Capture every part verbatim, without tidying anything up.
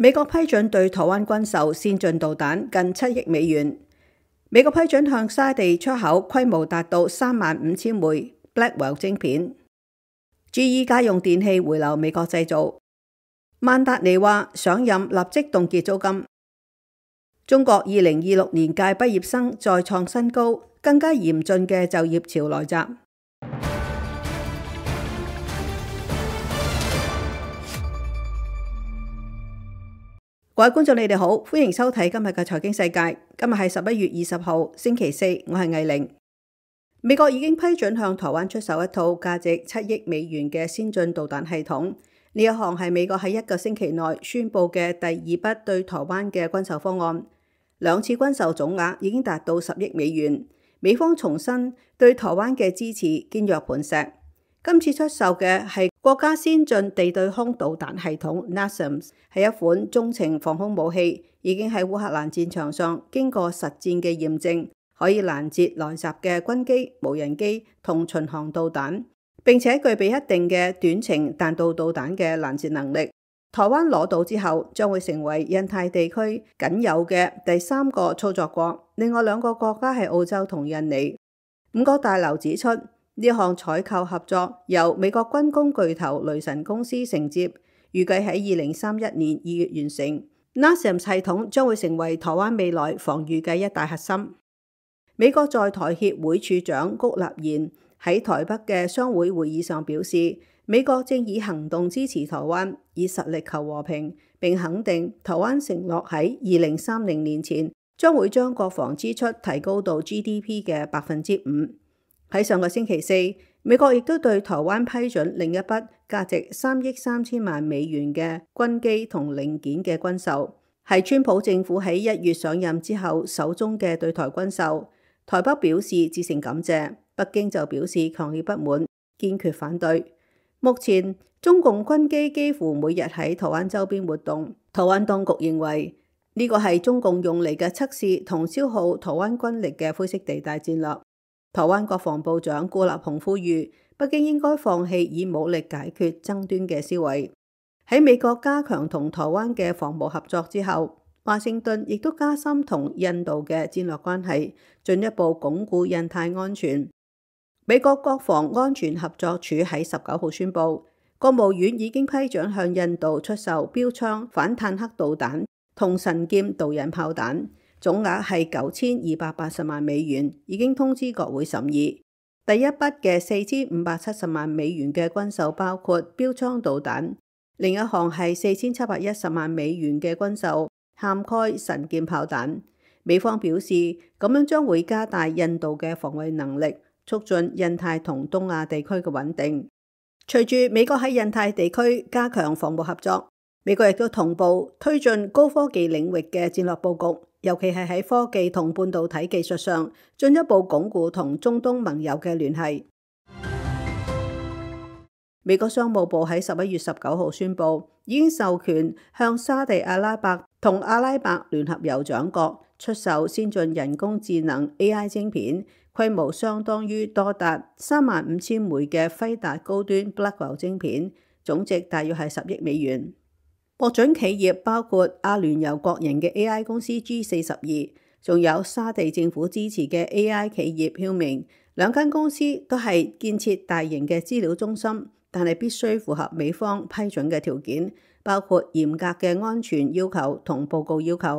美國批准對台灣軍售先進導彈近七億美元。美國批准向沙地出口規模達到三萬五千枚 Blackwell 晶片。G E 家用電器回流美國製造。曼達尼話上任立即凍結租金。中國二零二六年屆畢業生再創新高，更加嚴峻嘅就業潮來襲。各位觀眾，你哋好，歡迎收睇今日嘅財經世界。今日係十一月二十號，星期四，我係藝玲。美國已經批准向台灣出售一套價值七億美元嘅先進導彈系統。呢一項係美國喺一個星期內宣布嘅第二筆對台灣嘅軍售方案。兩次軍售總額已經達到十億美元。美方重申對台灣嘅支持堅若磐石。今次出售嘅係國家先進地對空導彈系統 NASAMS， 係一款中程防空武器，已經喺烏克蘭戰場上經過實戰嘅驗證，可以攔截來襲嘅軍機、無人機同巡航導彈，並且具備一定嘅短程彈道導彈嘅攔截能力。台灣攞到之後，將會成為印太地區僅有嘅第三個操作國，另外兩個國家係澳洲同印尼。五角大樓指出，呢項採購合作由美國軍工巨頭雷神公司承接，預計喺二零三一年二月完成。NASAMS 系統將會成為台灣未來防禦嘅一大核心。美國在台協會處長谷立言喺台北嘅商會會議上表示，美國正以行動支持台灣，以實力求和平，並肯定台灣承諾喺二零三零年前將會將國防支出提高到 G D P 嘅百分之五。喺上個星期四，美國亦都對台灣批准另一筆價值三億三千萬美元嘅軍機同零件嘅軍售，係川普政府喺一月上任之後首宗嘅對台軍售。台北表示致誠感謝，北京就表示強烈不滿，堅決反對。目前中共軍機幾乎每日喺台灣周邊活動，台灣當局認為呢個係中共用嚟嘅測試同消耗台灣軍力嘅灰色地帶戰略。台灣國防部長顧立雄呼籲北京應該放棄以武力解決爭端嘅思維。喺美國加強同台灣嘅防務合作之後，華盛頓亦都加深同印度嘅戰略關係，進一步鞏固印太安全。美國國防安全合作署喺十九號宣布，國務院已經批准向印度出售標槍反坦克導彈同神劍導引炮彈。總額係九千二百八十萬美元，已經通知國會審議。第一筆嘅四千五百七十萬美元嘅軍售包括標槍導彈，另一項係四千七百一十萬美元嘅軍售，涵蓋神劍炮彈。美方表示，咁樣將會加大印度嘅防衛能力，促進印太同東亞地區嘅穩定。隨住美國喺印太地區加強防務合作，美國亦都同步推進高科技領域嘅戰略佈局。尤其係喺科技同半導體技術上，進一步鞏固同中東盟友嘅聯繫。美國商務部喺十一月十九號宣布，已經授權向沙地阿拉伯同阿拉伯聯合酋長國出售先進人工智能 A I 晶片，規模相當於多達三萬五千枚嘅輝達高端 Blackwell 晶片，總值大約係十億美元。獲准企業包括阿聯酋國營嘅 A I 公司 G 四十二，仲有沙地政府支持嘅 A I 企業曉明，兩間公司都係建設大型嘅資料中心，但係必須符合美方批准嘅條件，包括嚴格嘅安全要求同報告要求。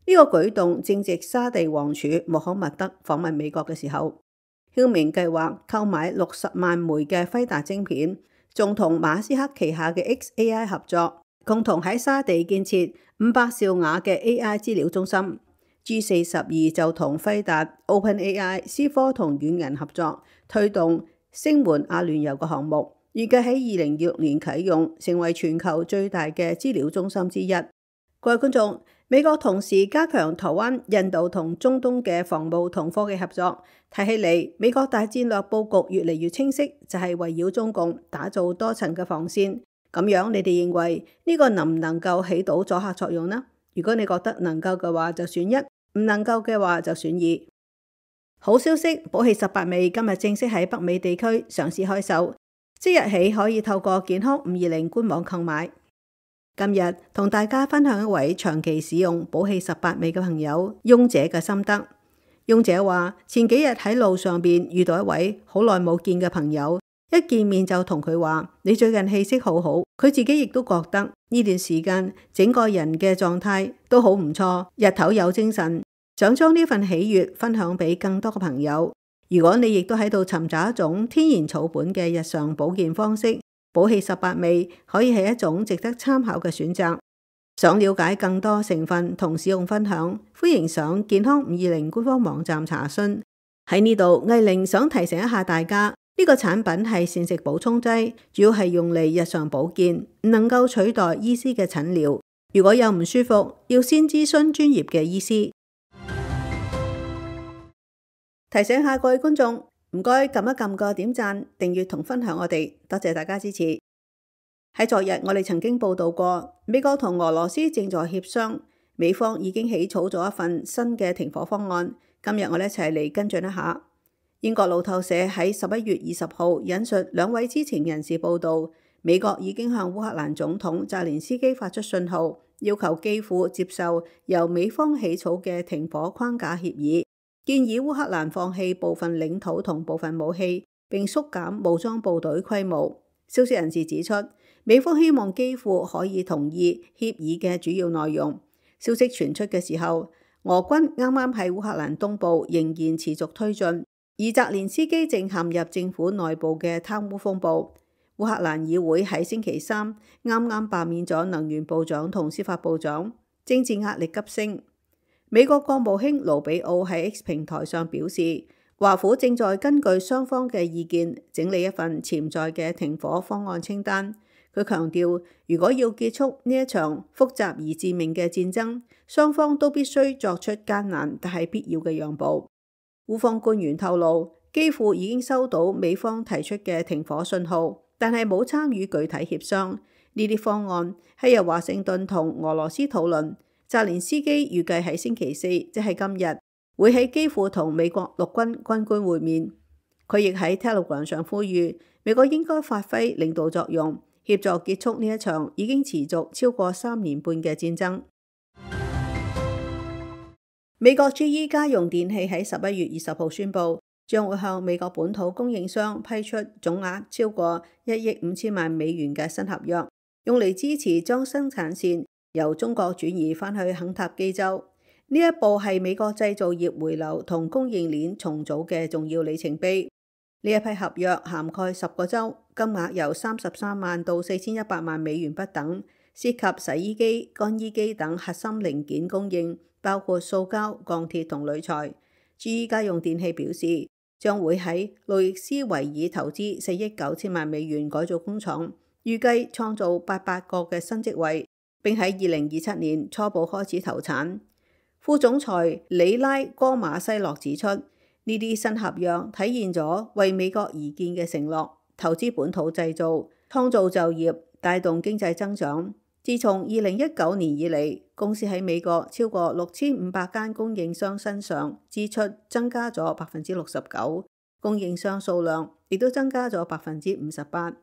呢、這個舉動正值沙地王儲穆罕默德訪問美國嘅時候，曉明計劃購買六十萬枚嘅輝達晶片，仲同馬斯克旗下嘅 X A I 合作。共同喺沙地建設五百兆瓦嘅 A I 資料中心。 G 四十二就同輝達、OpenAI、思科同軟銀合作，推動聲援阿聯酋嘅項目，預計喺二零二六年啟用，成為全球最大嘅資料中心之一。各位觀眾，美國同時加強台灣、印度同中東嘅防務同科技合作，睇起嚟美國大戰略佈局越嚟越清晰，就係圍繞中共打造多層嘅防線。咁樣你哋認為呢個能唔能夠起到阻嚇作用呢？如果你覺得能夠嘅話就選一，唔能夠嘅話就選二。好消息，寶氣十八味今日正式喺北美地區上市開售，即日起可以透過健康五二零官網購買。今日同大家分享一位長期使用寶氣十八味嘅朋友翁姐嘅心得。翁姐話前幾日喺路上邊遇到一位好耐冇見嘅朋友，一見面就同佢話：你最近氣色好好。佢自己亦都覺得呢段時間整個人嘅狀態都好唔錯，日頭有精神，想將呢份喜悅分享俾更多嘅朋友。如果你亦都喺度尋找一種天然草本嘅日常保健方式，寶氣十八味可以係一種值得參考嘅選擇。想了解更多成分同使用分享，歡迎上健康五二零官方網站查詢。喺呢度，藝玲想提醒一下大家，呢個產品係膳食補充劑，主要係用嚟日常保健，唔能夠取代醫師嘅診療。如果有唔舒服，要先諮詢專業嘅醫師。提醒下各位觀眾，唔該撳一撳個點讚、訂閱同分享我哋，多謝大家支持。喺昨日我哋曾經報道過，美國同俄羅斯正在協商，美方已經起草咗一份新嘅停火方案。今日我哋一齊嚟跟進一下。英國路透社喺十一月二十號引述兩位知情人士報道，美國已經向烏克蘭總統澤連斯基發出信號，要求基輔接受由美方起草嘅停火框架協議。建議烏克蘭放棄部分領土同部分武器，並縮減武裝部隊規模。消息人士指出，美方希望基輔可以同意協議嘅主要內容。消息傳出嘅時候，俄軍啱啱喺烏克蘭東部仍然持續推進，而澤連斯基正陷入政府內部嘅貪污風暴。烏克蘭議會喺星期三啱啱罷免咗能源部長同司法部長，政治壓力急升。美國國務卿盧比奧喺 X 平台上表示，華府正在根據雙方嘅意見整理一份潛在嘅停火方案清單。佢強調，如果要結束呢一場複雜而致命嘅戰爭，雙方都必須作出艱難但係必要嘅讓步。烏方官員透露，基輔已經收到美方提出嘅停火信號，但係冇參與具體協商。呢啲方案係由華盛頓同俄羅斯討論。澤連斯基預計喺星期四，即係今日，會喺基輔同美國陸軍軍官會面。佢亦喺 Telegram 上呼籲美國應該發揮領導作用，協助結束呢一場已經持續超過三年半嘅戰爭。美國 G E 家用電器喺十一月二十號宣布，將會向美國本土供應商批出總額超過一億五千萬美元嘅新合約，用嚟支持將生產線由中國轉移返去肯塔基州。呢一步係美國製造業回流同供應鏈重組嘅重要里程碑。呢一批合約涵蓋十個州，金額由三十三萬到四千一百萬美元不等，涉及洗衣機、乾衣機等核心零件供應，包括塑膠、鋼鐵同鋁材。G E 家用電器表示，將會喺路易斯維爾投資四億九千萬美元改造工廠，預計創造八百個嘅新職位，並喺二零二七年初步開始投產。副總裁里拉哥馬西諾指出，呢啲新合約體現咗為美國而建嘅承諾，投資本土製造，創造就業，帶動經濟增長。自從二零一九年以嚟，公司喺美國超過六千五百間供應商身上支出增加咗百分之六十九，供應商數量亦都增加咗百分之五十八。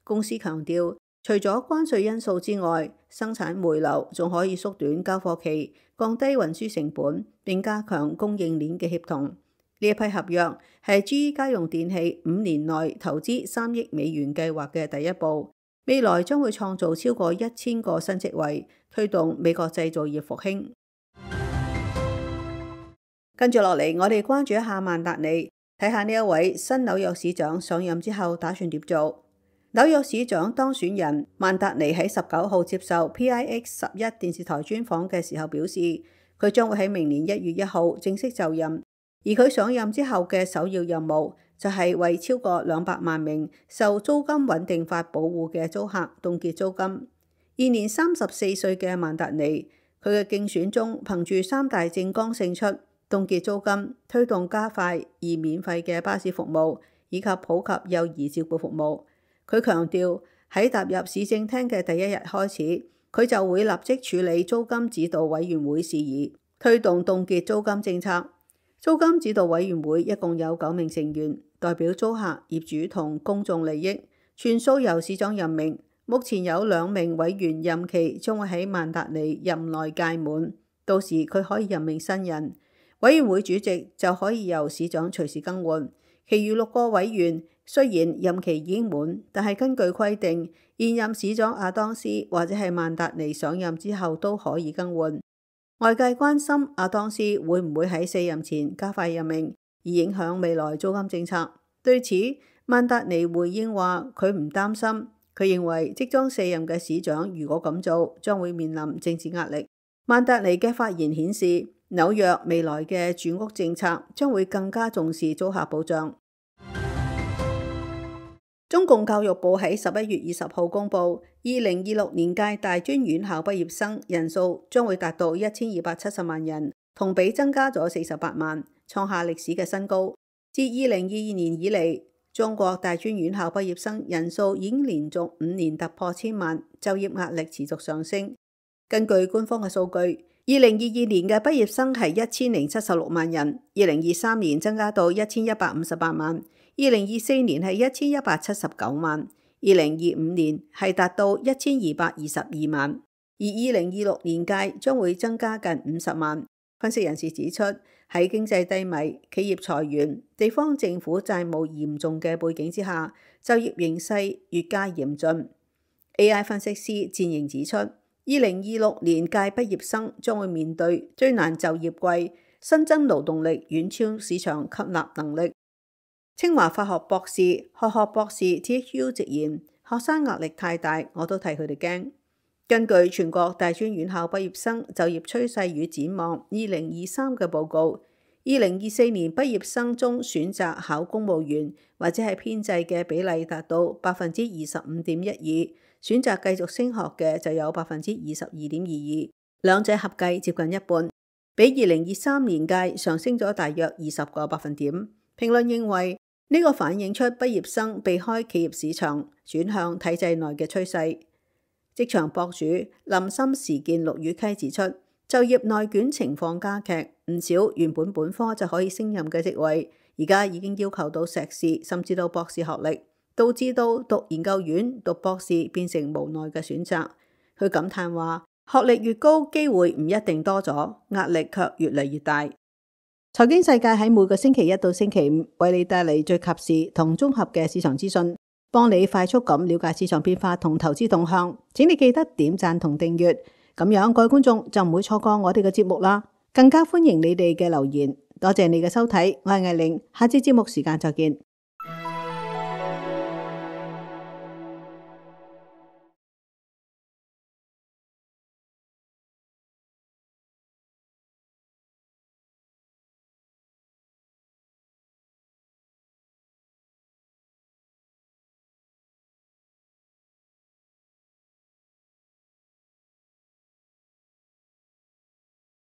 公司強調，除咗關稅因素之外，生產回流仲可以縮短交貨期，降低運輸成本，並加強供應鏈嘅協同。呢一批合約係 G E 家用電器五年內投資三億美元計劃嘅第一步，未來將會創造超過一千個新職位，推動美國製造業復興。跟住落嚟，我哋關注一下萬達尼，睇下呢一位新紐約市長上任之後打算點做。紐約市長當選人萬達尼喺十九號接受 P I X 十一電視台專訪嘅時候表示，佢將會喺明年一月一號正式就任，而佢上任之後嘅首要任務就係為超過兩百萬名受租金穩定法保護嘅租客凍結租金。現年三十四歲嘅萬達尼，佢嘅競選中憑住三大政綱勝出，凍結租金、推動加快而免費嘅巴士服務，以及普及幼兒照顧服務。佢強調喺踏入市政廳嘅第一日開始，佢就會立即處理租金指導委員會事宜，推動凍結租金政策。租金指導委員會一共有九名成員，代表租客、業主同公眾利益，全數由市長任命。目前有兩名委員任期將會喺曼達尼任內屆滿，到時佢可以任命新人。委員會主席就可以由市長隨時更換。其餘六個委員雖然任期已經滿，但係根據規定，現任市長亞當斯或者係曼達尼上任之後都可以更換。外界關心亞當斯會唔會喺卸任前加快任命，而影響未來租金政策。對此，曼達尼回應話佢唔擔心。佢認為即將卸任嘅市長如果咁做，將會面臨政治壓力。曼達尼嘅發言顯示，紐約未來嘅住屋政策將會更加重視租客保障。中共教育部喺十一月二十號公布，二零二六年屆大專院校畢業生人數將會達到一千二百七十萬人，同比增加咗四十八萬，創下歷史嘅新高。自二零二二年以嚟，中國大專院校畢業生人數已經連續五年突破千萬，就業壓力持續上升。根據官方嘅數據，二零二二年嘅畢業生係一千零七十六萬人，二零二三年增加到一千一百五十八萬，二零二四年係一千一百七十九萬，二零二五年係達到一千二百二十二萬，而二零二六年屆將會增加近五十萬。分析人士指出，喺經濟低迷、企業裁員、地方政府債務嚴重嘅背景之下，就業形勢越加嚴峻。A I 分析師戰營指出，二零二六年屆畢業生將會面對最難就業季，新增勞動力遠超市場吸納能力。清華法學博士、學學博士 T H U 直言，學生壓力太大，我都替佢哋驚。根據全國大專院校畢業生就業趨勢與展望二零二三嘅報告，二零二四年畢業生中選擇考公務員或者係編制嘅比例達到百分之二十五點一二，選擇繼續升學嘅就有百分之二十二點二二，兩者合計接近一半，比二零二三年屆上升咗大約二十個百分點。評論認為呢個反映出畢業生避開企業市場，轉向體制內嘅趨勢。職場博主林森時見陸羽溪指出，就業內卷情況加劇，唔少原本本科就可以勝任嘅職位，而家已經要求到碩士甚至到博士學歷，導致到讀研究院、讀博士變成無奈嘅選擇。佢感嘆話：學歷越高，機會唔一定多咗，壓力卻越嚟越大。財經世界喺每個星期一到星期五為你帶嚟最及時同綜合嘅市場資訊，幫你快速咁了解市場變化同投資動向。請你記得點讚同訂閱，咁樣各位觀眾就唔會錯過我哋嘅節目啦。更加歡迎你哋嘅留言。多謝你嘅收睇，我係艾玲，下次節目時間再見。